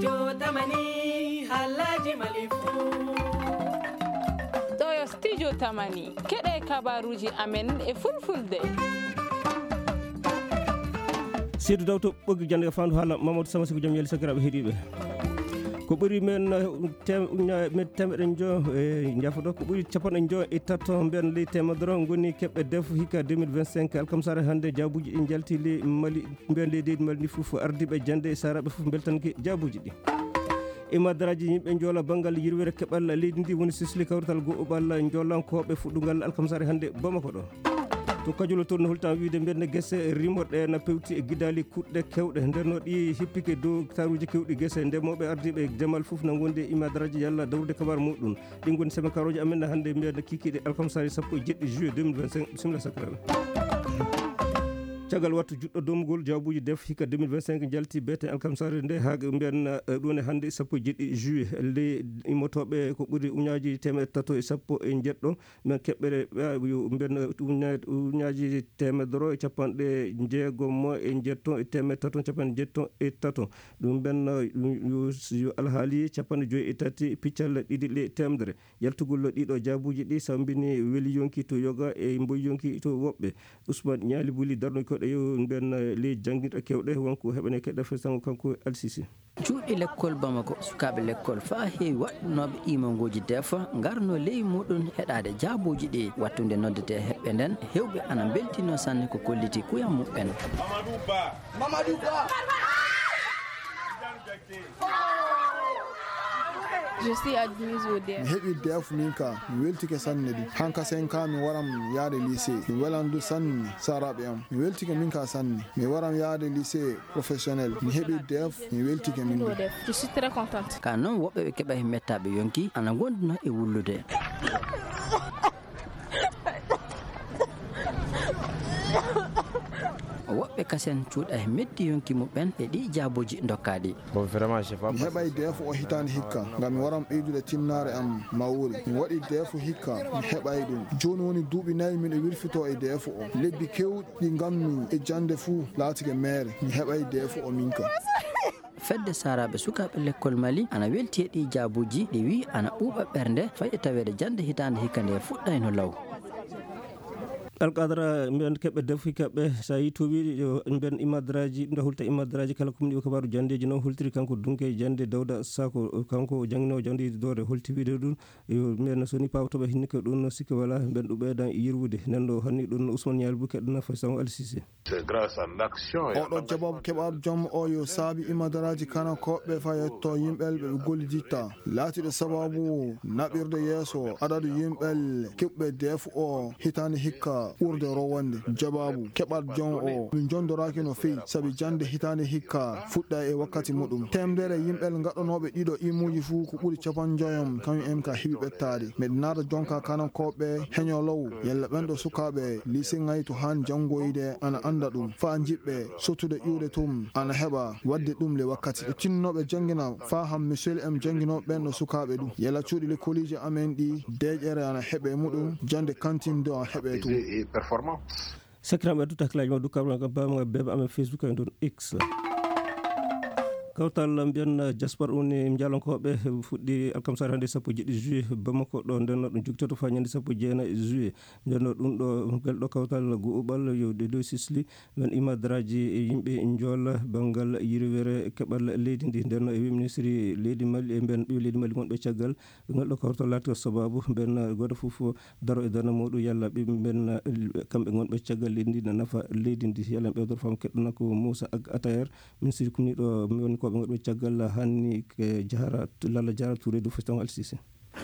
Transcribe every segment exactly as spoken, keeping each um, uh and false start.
Jotamani, halaji malifu. Ɗo yo Studio Tamani, keɗe kabaruji amen e fulfulde. Seydou Dawto ɓoggi jannde fandu haala Mamadou Sama Siko jom yeli sakiraaɓe heɗiiɓe. Ko ɓuri men, eh, tem-, uña-, men temeɗe njo-, eh, jafoɗo, ko ɓuri capanɗe njo e tato mbiyan ley temedere ngoni keɓɓe def hikka deux mille vingt-cinq alkamsare hannde. Jaabuji ɗi njalti ley Mali, mbiyan ley leydi Mali ndi fof, ardiiɓe jannde e saraaɓe fof mbeltanke jaabuji ɗi. E madaraaji yimɓe njoola banngal yirwere keɓal leydi ndi woni sisli kawrital go'oɓal njoolankooɓe fuɗɗungal alkamsare hannde Bamako ɗo. To Kajoor toon no hulta wiide mbiyetnde gese rimoɗe na pewti e gidaali kuɗɗe kewɗe. Nder no ɗi hippike dow taruuji kewɗi gese, ndemooɓe ardiiɓe demal fof na ngondi e imadaraaji yalla dawrude kabar muɗum. Ɗi ngoni seme karooji amen hannde mbiyetnde kikiiɗe alkamsari sappo e jeɗɗi juillet deux mille vingt-cinq. Bisimilla sakiraaɓe. Caggal wattu juɗɗo domgol jawbuuji def hikka deux mille vingt-cinq jalti bete alkamsari nde haa mbiyen, eh, ɗum ne hannde sappo e jeɗɗi juillet. Ley immotooɓe ko ɓuri uñaaji teemeɗɗe tato e sappo e jeɗɗo. Men keɓɓere, eh, yo mbiyen, eh, uña-, uñaaji teemedere e capanɗe jeegom e jeetto e teemeɗɗe tato capanɗe jeetto e tato. Ɗum mbiyen, eh, yo, yo alhaali capanɗe joyi e tati piccal ɗiɗi le teemedere. Yaltugol ɗiɗo jaabuuji ɗi sambini weli yonki to yoga e mboy yonki to woɓɓe. Ousmane Ñaali Buli darnoy koɗe yo mbiyen, eh, ley jannginɗo kewɗe wonko heɓane keɗɗa fesango kanko Alsisi. Cuuɗi lekkol Bamako, sukaaɓe lekkol faa heewi waɗnooɓe iimangooji deefa ngarno ley muɗum heɗaade jaabuuji ɗi. Wattunde noddetee heɓɓe nden, heewɓe ana mbeltinoo sanne ko kolliti kuyam muɓɓen. Mamadou Ba. Mamadou Ba. Je suis admise au D F. Mi heɓi D F min ka, mi weltike sanne du. Hanka sen ka mi waram yaade lycée. Mi welan du sanne saraaɓe am. Mi weltike min ka sanne. Mi waram yaade lycée professionnel. Mi heɓi D F, mi weltike min du. Je suis très contente. Ka non woɓɓe ɓe keɓa he mettaaɓe yonki ana ngondunoo e wullude. Woɓɓe kasen cuuɗa he meddi yonki muɓɓen e ɗi jaabuuji dokkaaɗi. Bon, vraiment, j'ai pas. Mi heɓay D F o hitaande hikka, ngam mi waran ɓeydude tinnaare am mawre. Mi waɗi D F hikka, mi heɓay ɗum. Jooni woni duuɓi nayi miɗo wirfitoo e D F o. Lebbi keewɗi ngammi e jannde fuu laatike meere. Mi heɓay D F o minka. Fedde Saaraaɓe Sukaaɓe Lekkol Mali ana welti e ɗii jaabuuji, ɗi wi'i ana ɓuuɓa ɓernde, fay e taweede jannde hitaande hikka nde fuɗɗayno law. Alkadara, mbiyen keɓɓe defuki kaɓɓe, so a yii to wiide yo mbiyen imadraaji, ɗum ɗo hulta imadraaji kala ko ɗum ɗi kabaaru janndeeji noon hultiri kanko Dunke Jannde Dawda Sako, kanko jannginoowo jannde doore holti wiide ɗum, yo mbiyen so ni pawtoɓe hinni ko ɗum no sikke wala, mbiyen ɗum ɓeydan yirwude. Nden ɗo hanni ɗum no Ousmane Ñaali Buke ɗum nafa Sango Alsise. C'est grâce à l'action et à oɗo l'engagement jabaabu keɓaaɗo joom o yo saabi imadaraaji kanakooɓe fayetto yimɓe ɓe ɓe golliditta. Laatiiɗo sabaabu naɓirde yeeso adadu yimɓe keɓɓe D F o hitaande hikka ɓurde rowande. Jabaabu keɓaaɗo joom o min jondoraaki no feewi, sabi jannde hitaande hikka fuɗɗa e wakkati muɗum. Teemdere yimɓe gaɗanooɓe ɗiɗo imuuji fuu ko ɓuri capanɗe njoyom kañum en ka heɓi ɓettaade. Meɗen naata jonka kanakooɓe heño law, yalla ɓen ɗo sukaaɓe lycée ŋaytu haan janngoyde ana annda ɗum. Faa jiɓɓe sottude ƴuude tum ana heɓa waɗde ɗum le wakkati. Ɓe tinnooɓe janngina faa han misel em jannginooɓe ɓen ɗo sukaaɓe ɗum. Yalla cuuɗi lekkooliiji amen ɗi deeƴere ana heɓe muɗum, jannde kantin do ana heɓe tum. Et performant. Sakiraaɓe, addu taklaaji ma, du kabla ngam bama ngam beba amen Facebook e ɗon X. Kawtal mbiyan diaspora woni njalonkooɓe fuɗɗi alkamsare hannde sappo e jeɗɗi juillet Bamako ɗo nden no ɗum jogitoto faa ñande sappo e jeenayi juillet. Nden no ɗum ɗo, ngal ɗo kawtal guɓal yo ɗe dow sisli men imadraaji e yimɓe njoola banngal yirwere keɓal leydi ndi. Nden no e wi ministri leydi Mali e mbiyan ɓiɓɓe leydi Mali wonɓe caggal. Ngal ɗo kawtal laati ko sababu mbiyen gooto fof daro e darnde muɗum yalla ɓe mbiyen kamɓe ngonɓe caggal leydi ndi na nafa leydi ndi. Yalla ɓe dor fam keɗɗuna ko Moussa Ag Atayer, ministre kumniiɗo mawnikoɓe ngonɓe caggal hanni ke Jahara, Lalla Jahara Touré du Feston Alsisi.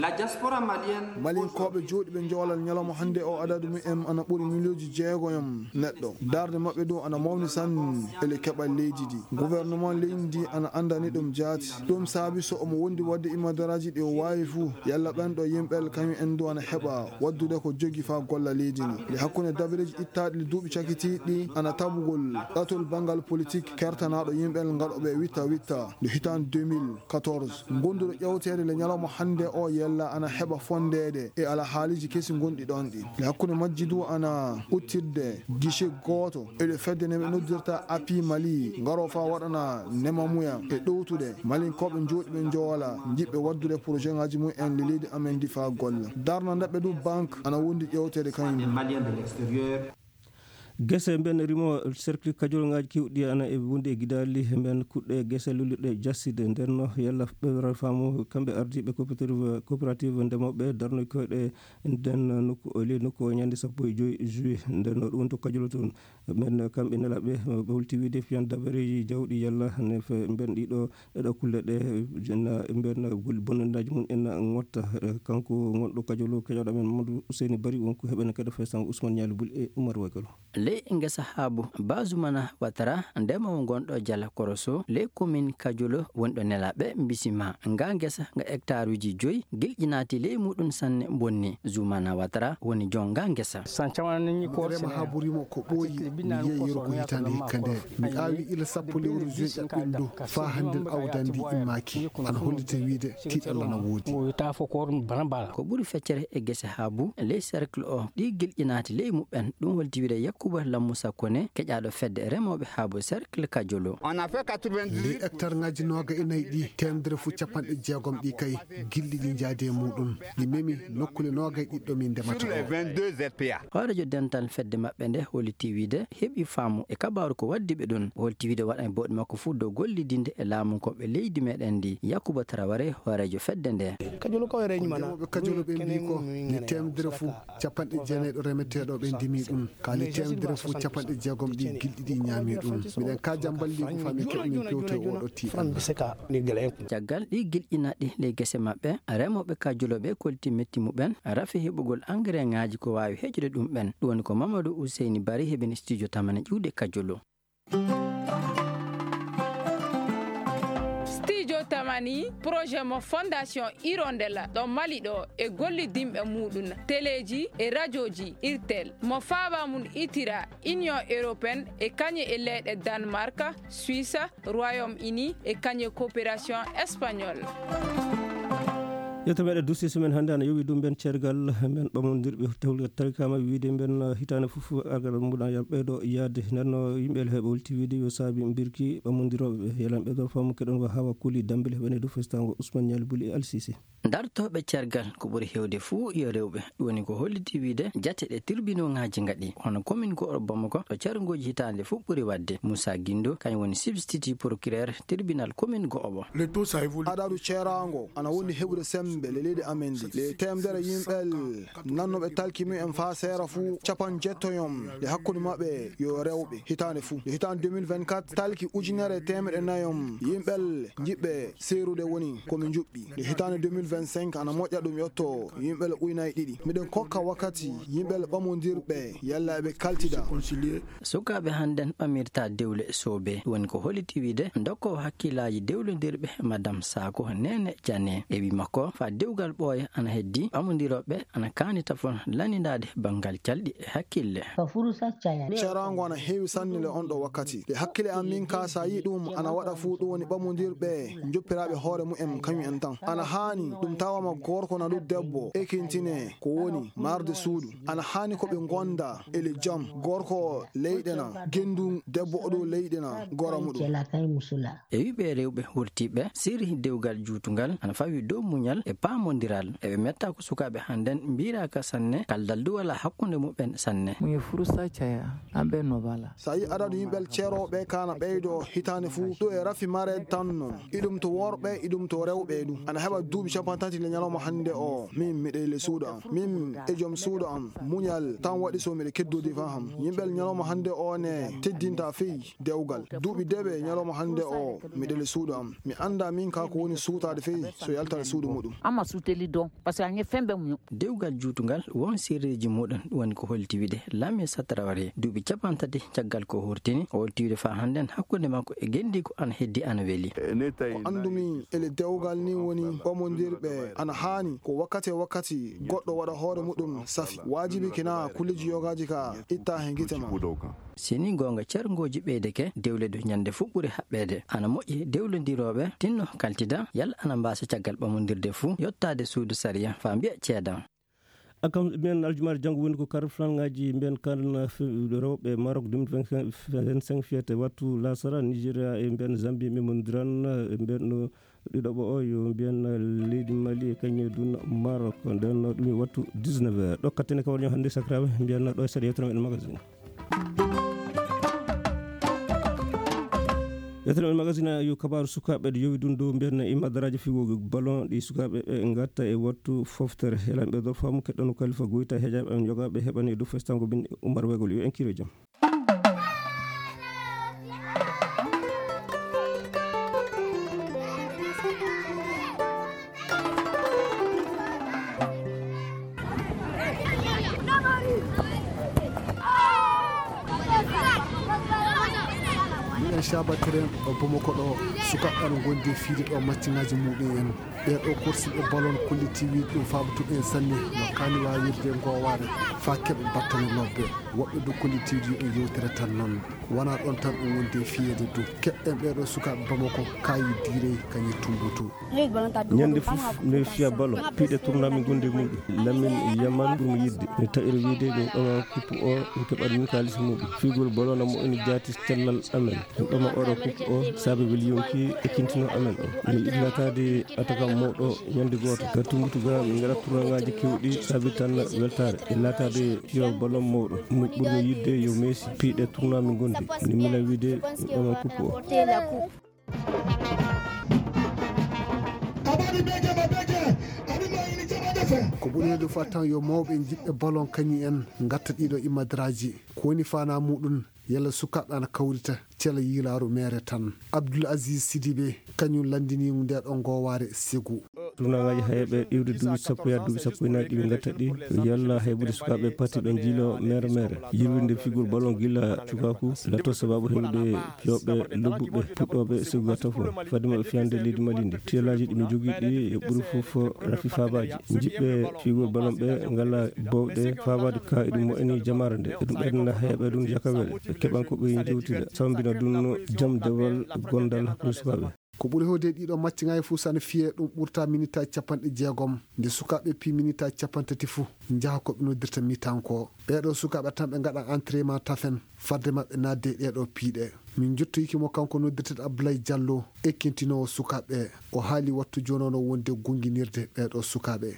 La diaspora malienne. Malinkooɓe jooɗiiɓe njoolal ñalawma hannde o adadu mumen ana ɓuri miliyonji jeegoyom neɗɗo. Darnde maɓɓe ɗum ana mawni sanne e le keɓal leydi ndi. Gouvernement leydi ndi ana anndani ɗum jaati. Ɗum saabi so omo wondi waɗde imadaraaji ɗi o waawi fuu, yalla ɓen ɗo yimɓe kañum en du ana heɓa waɗdude ko jogi faa golla leydi ndi. Nde hakkunde dabareeji ittaaɗi le duuɓi cakitiiɗi ana tabugol ɗatol banngal politik kertanaaɗo yimɓe ngaɗooɓe witta witta nde hitaande deux mille quatorze. Gonduɗo ƴewteede le ñalawma hannde o Yalla ana heɓa fondeede e alhaaliiji kesi ngonɗi ɗoon ɗi. E hakkunde majji du ana uttirde guichet gooto e ɗo fedde nde ɓe noddirta Api Mali, ngaro faa waɗana nemamuya e ɗowtude Malinkooɓe jooɗiiɓe njowola, jiɗɓe waɗdude projet ŋaaji mum en le leydi amen ndi faa golla. Darna ndaɓɓe du banque ana wondi ƴeewteede kañum. Gese mben rimo cercle kajolŋaaji keewɗi ana e wonde e gidaali mben kuɗɗe gese lullirɗe jasside. Nden no yalla ɓe faamu kamɓe ardiiɓe coopérative, coopérative ndemooɓe darnoy koyɗe nden nokku, o ley nokku o ñande sappo e joy juillet. Nden no ɗum woni to kajolo toon. Men kamɓe nelaaɓe, ɓe holti wiide fiyan dabareeji jawɗi yalla ne fe mben ɗiɗo e ɗo kulle ɗe, na mbiyan gol bonnandaaji mum en ngotta. Eh, kanko ngonɗo kajolo keƴoɗo men Mamadou Ousseyni Bari, wonko heɓen kadi fesango Ousmane Ñaali Bul e Oumar Wagalo. Ley ngesa haabu Bazumana Watara, ndemowo ngonɗo Jala Koroso, ley commune Kajolo, wonɗo nelaɓe mbisima nga ngesa nga hectare uji joyi, gilƴinaati ley muɗum sanne bonni. Zumana Watara woni jon nga ngesa. Rema haabu rimo ko ɓooyi, mi yeeyiro ko hitaande hikka nde. Mi aawi ila sappo lewru juin ɓenndo, faa hannden awdi ndi immaaki. Ana hollita wiide tiiɗalla na woodi. Ko ɓuri feccere e gese haabu ley cercle o, ɗi gilƴinaati ley muɓɓen. Ɗum holti wiide Yakuba Lammusa Kone, keƴaaɗo fedde remooɓe haabu cercle Kajolo. Ley hectare ŋaaji nooga e nayi ɗi, teemedere fof capanɗe jeegom ɗi kay, gilɗi ɗi njaadi e muɗum. Ɗi memi nokkule nooga e ɗiɗɗo min ndemata o. Hooreejo dental fedde maɓɓe nde holliti wiide heɓi faamu e kabaaru ko waddi ɓe ɗum. O holti wiide waɗan bawɗe makko fof dow gollidinde e laamunkooɓe leydi meɗen ndi. Yakuba Taraware, hooreejo fedde nde. Ko ndemooɓe Kajolo ɓe mbii ko, ni teemedere fof capanɗe jeenayi ɗo remeteeɗo ɓe ndimi ɗum. Kaali teemedere fof capanɗe jeegom ɗi gilɗi ɗi ñaami ɗum. Miɗen kaaja mballi ko fami keɓmi pewto e oɗo tiiɗal. Caggal ɗi gilɗinaɗi ley gese maɓɓe, remooɓe Kajolo ɓe kolti metti muɓen, rafi heɓugol engrais ŋaaji ko waawi heƴude ɗum ɓen. Ɗum woni ko Mamadou Ousseyni Bari heɓini studio Tamani ƴiwde Kajolo. Studio Tamani, projet mo Fondation Hirondelle ɗo Mali ɗo e gollidinɓe muɗum, teleeji e rajooji Irtel, mo faaba mum itira Union Européenne e kañe e leyɗe Danemark, Suisse, Royaume-Uni e kañe coopération espagnole. Yetto meɗe duusi semaine hannde ana yowi ɗum ɓen ceergal men ɓamondirɓe tawligal tarikama wiide mben hitaande fof argal muɗa ya ɓeydo yaade. Nden no yimɓe heɓe holti wiide yo saabi mbirki ɓamondirooɓe yelan ɓeydo faamu keɗon wa hawa kuli dambel heɓene dow festango Ousmane Ñaali Buli e Alsisi. Dartooɓe cergal ko ɓuri heewde fuu yo rewɓe. Ɗum woni ko holliti wiide jate ɗe tirbinooŋaaji ngaɗi, hono commune go'oɓo Bamako, ɗo carngooji hitaande fof ɓuri waɗde. Moussa Guindo, kañum woni substitut procureur tribunal commune go'oɓo. Adadu ceeraango ana wondi heɓude semmbe le leydi amen ndi. Le teemedere yimɓe nannooɓe talki mumen faa seera fuu, capanɗe jeetto yom le hakkunde maɓɓe yo rewɓe hitaande fuu. Le hitaande deux mille vingt-quatre, talki ujunere e teemedde nayom yimɓe jiɗɓe seerude woni ko min njuɓɓi. Nde hitaande deux mille vingt-cinq ana moƴƴa ɗum yotto yimɓe ujunaaji ɗiɗi. Miɗen kokka wakkati yimɓe ɓamondirɓe yalla eɓe kaltida. Sukaaɓe hannden ɓamirta dewle soobe. Ɗum woni ko holliti wiide dokkoowo hakkillaaji dewlondirɓe Madame Sako Nene Jane. E wi makko, faa dewgal ɓooya ana heddi, ɓamondirooɓe ana kaani tafon lannindaade banngal calɗi e hakkille. Ceeraango ana heewi sanne le on ɗo wakkati. E hakkille am min ka, so a yii ɗum ana waɗa fuu, ɗum woni ɓamondirɓe njoppiraaɓe hoore mumen kañum en tan. Ana haani ɗum tawama gorko na ɗum debbo ekintine ko woni marde suudu. Ana haani ko ɓe ngonda ele jam, gorko leyɗe na gendu debbo oɗo leyɗe na gora muɗum. E wi ɓe rewɓe wurtiiɓe, sirri dewgal juutungal ana fawi dow muñal e paamondiral. Eɓe metta ko sukaaɓe hannden mbiiraaka sanne, kaldal du wala hakkunde muɓen sanne. Muye furusa caya, amɓe no bala. So a yii adadu yimɓe ceerooɓe ka na ɓeydo hitaande fuu, ɗo e rafi mare tan non. Iɗum to worɓe, iɗum to rewɓe du. Ana heɓa duuɓi capanɗe tati le ñalawma hannde o. Min miɗo e le suudu am. Min e joom suudu am. Muñal tan waɗi so miɗo keddodi faa ham. Yimɓe ñalawma hannde o ne teddinta fey dewgal. Duuɓi deɓe ñalawma hannde o, miɗo le suudu am. Mi annda min ka ko woni suutaade fey so yaltata suudu muɗum. Amma suuteli don, parce que a ñe fembe mu. Dewgal juutungal won sirreeji muɗum, ɗum woni ko holti wiide Lami Satraware. Duuɓi capanɗe tati caggal ko hurtini, o holti wiide faa hannden hakkunde makko e gendi ko ana heddi ana weli. Ko anndumi ele dewgal ni woni ɓamondirɓe Ana haani ko wakkati e wakkati goɗɗo waɗa hoore muɗum safi. Waajibi kina kulleeji yogaaji ka itta he gite ma. Si ni goonga, cerngooji ɓeydeke, dewle du ñande fuu ɓuri haɓɓeede. Ana moƴƴi dewlondirooɓe tinno kaltida, yalla ana mbaasa caggal ɓamondirde fuu yottaade suudu sariya faa mbiya ceedan. A kam mbiyen aljumaare janngo woni ko kar flanŋaaji mbiyen kan rewɓe Maroc deux mille vingt-cinq fiyete wattu lasara Nigeria e mbiyen Zambie memondiran e mbiyen no ɗiɗoɓo o yo mbiyen leydi Mali e kañum e dun Maroc nden no ɗum e wattu dix-neuf heures. Ɗo kattene kawal ñoo hannde sakiraaɓe mbiyen ɗo e seeɗa yewtere meɗen magazine. Yettere men magazine yo kabaaru sukaaɓe ɗo yowi ɗum dow mbiyen imadaraaji figo ballon ɗi sukaaɓe ɓe ngatta e wattu foftere. Helanɓe dow faamu keɗɗono Kalifa Goyta heƴaaɓe en yogaaɓe heɓani e dow festango bin Umar Wegol yo en kiro jam. Miɗen cabattiren ɗo Bamako ɗo, sukaaɓe ana ngondi e fiide ɗo macciŋaaji muɗum en. Ɓee ɗo korsiiɓe ballon kolliti wiide ɗum faaboto en sanne no kaani waawirde ngoowaare faa keɓa battane lobbe. Woɓɓe du kolliti wiide yo ɗum yewtere tan noon. Wonaa ɗoon tan ɗum wondi e fiyeede du. Keɓɗen ɓee ɗo sukaaɓe Bamako kaayi diirey kañum tumbutu. Ñande fof mi fiya ballon, piiɗe tournoi mi gondi e muɗum. Lamin Yamal ɓurmi yiɗde. Mi taƴiri wiide mi ɗoma coupe o, mi keɓat min kaalis muɗum. Figol ballon na moƴƴini jaati cellal amen. Mi ɗoma oɗo coupe o, saabe weli yonki e kintino amen o. Mi yiɗi laataade attaquant mawɗo ñande gooto. Ga tumbutu ga, min ngaɗa tournoi ngaaji kewɗi, saabe tan weltaare. E laataade fiyo ballon mawɗo. Mi ɓurmi yiɗde yo Messi, piiɗe tournoi mi gondi. Mi mila wiide mi ɗoma coupe o. Ko ɓuri heeɗude fof tan yo mawɓe jiɗɓe ballon kañum en ngatta ɗiɗo imadaraaji. Ko woni faanaa muɗum, yalla sukaaɓe ana kawrita cela yiilaaru meere tan. Abdoul Aziz Sidibé, kañum lanndini nde ɗo ngoowaare Ségou. Tournoi ngaaji hayɓe iwde duuɓi sappo yaa duuɓi sappo e nayi ɗi ɓe ngatta ɗi, yalla haybude sukaaɓe patiɓe njiilo meere meere. Yirwinde figol ballon gila cukaaku, latto sababu heɓude fiyooɓe lobbuɓe puɗɗooɓe Ségou gatta fof. Fadde maɓɓe fiyande leydi Mali ndi. Tiyelaaji ɗi mi jogii ɗi e ɓuri fof rafi faabaaji. Jiɗɓe figol ballon ɓe ngala bowɗe faabaade ka eɗum moƴƴini jamaare nde. Eɗum ɓeydanna heɓe ɗum jakawel. Ɓe keɓan ko ɓe jewtida. Sambina ɗum jam dewal gondal hakkunde sukaaɓe. Ko ɓuri heewde ɗiɗo macciŋaaji fof so ana fiyee ɗum ɓurta minitaaji capanɗe jeegom. Nde sukaaɓe pii minitaaji capanɗe tati fof njaha ko ɓe noddirta mitan ko. Ɓee ɗo sukaaɓe tan ɓe ngaɗa entraînement tafen fadde maɓɓe naatde e ɗee ɗo piiɗe. Min njottoyiki mo kanko noddirteeɗo Abdoulaye Diallo, ekkintinoowo sukaaɓe. O haali wattu jooni o no wonde gunginirde ɓee ɗo sukaaɓe.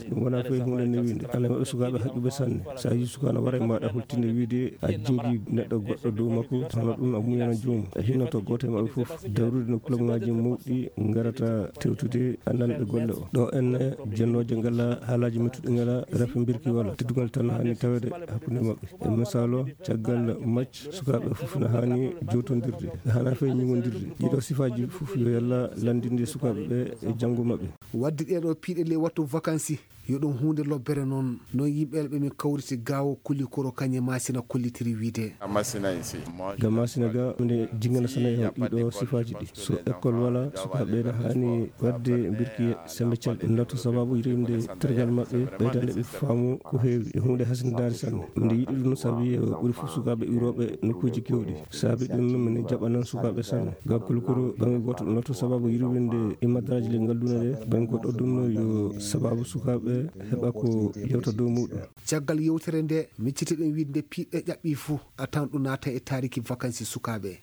Ɗum wonaa fof huunde newiinde. Ana maɓɓe sukaaɓe haƴɓuɓe sanne. So a yii suka ana wara e maaɗa holtinde wiide a jingi neɗɗo goɗɗo dow makko, hono ɗum a muñana joomum. A hinnoto gooto e maɓɓe fof dawrude no club ngaaji mawɗi ngarata tewtude a nanɓe golle o. Ɗo en jennooje ngala haalaaji mettuɗi ngala rafi mbirki wala. Teddungal tan haani taweede hakkunde maɓɓe. E misaal o, caggal match, sukaaɓe fof na haani jowtondirde. Ɓe haana fey ñiŋondirde. Ɗiɗo sifaaji fof yo yalla lanndinde sukaaɓe ɓe e janngo maɓɓe. Waɗde ɗee ɗo piiɗe ley wattu vakansi, yo ɗum huunde lobbere noon. Noon yimɓe ɓe min kawriti gaawo kulli koro kañe Masina kollitiri wiide. Ga Masina ga, mine jingana sana e ɗiɗo sifaaji ɗi. So école wala, sukaaɓe na haani waɗde mbirki sembe calɗe. Latto sababu yirwinde tergal maɓɓe, ɓeydande ɓe faamu ko heewi. E huunde hasindinaare sanne. Mine yiɗi ɗum sabi e ɓuri fof sukaaɓe iwrooɓe nokkuuji keewɗi. Saabi ɗum, min jaɓanan sukaaɓe sanne. Ga kulkuru, baŋnge gooto ɗum latto sababu yirwinde e madaraaji le ngal duna le, baŋnge goɗɗo ɗum no yo sababu sukaaɓe heɓa ko yewta dow muɗum. Caggal yewtere nde, miccitiɗen wiide nde piiɗe ƴaɓɓi fof, a tan ɗum naata e taariki vakansi sukaaɓe.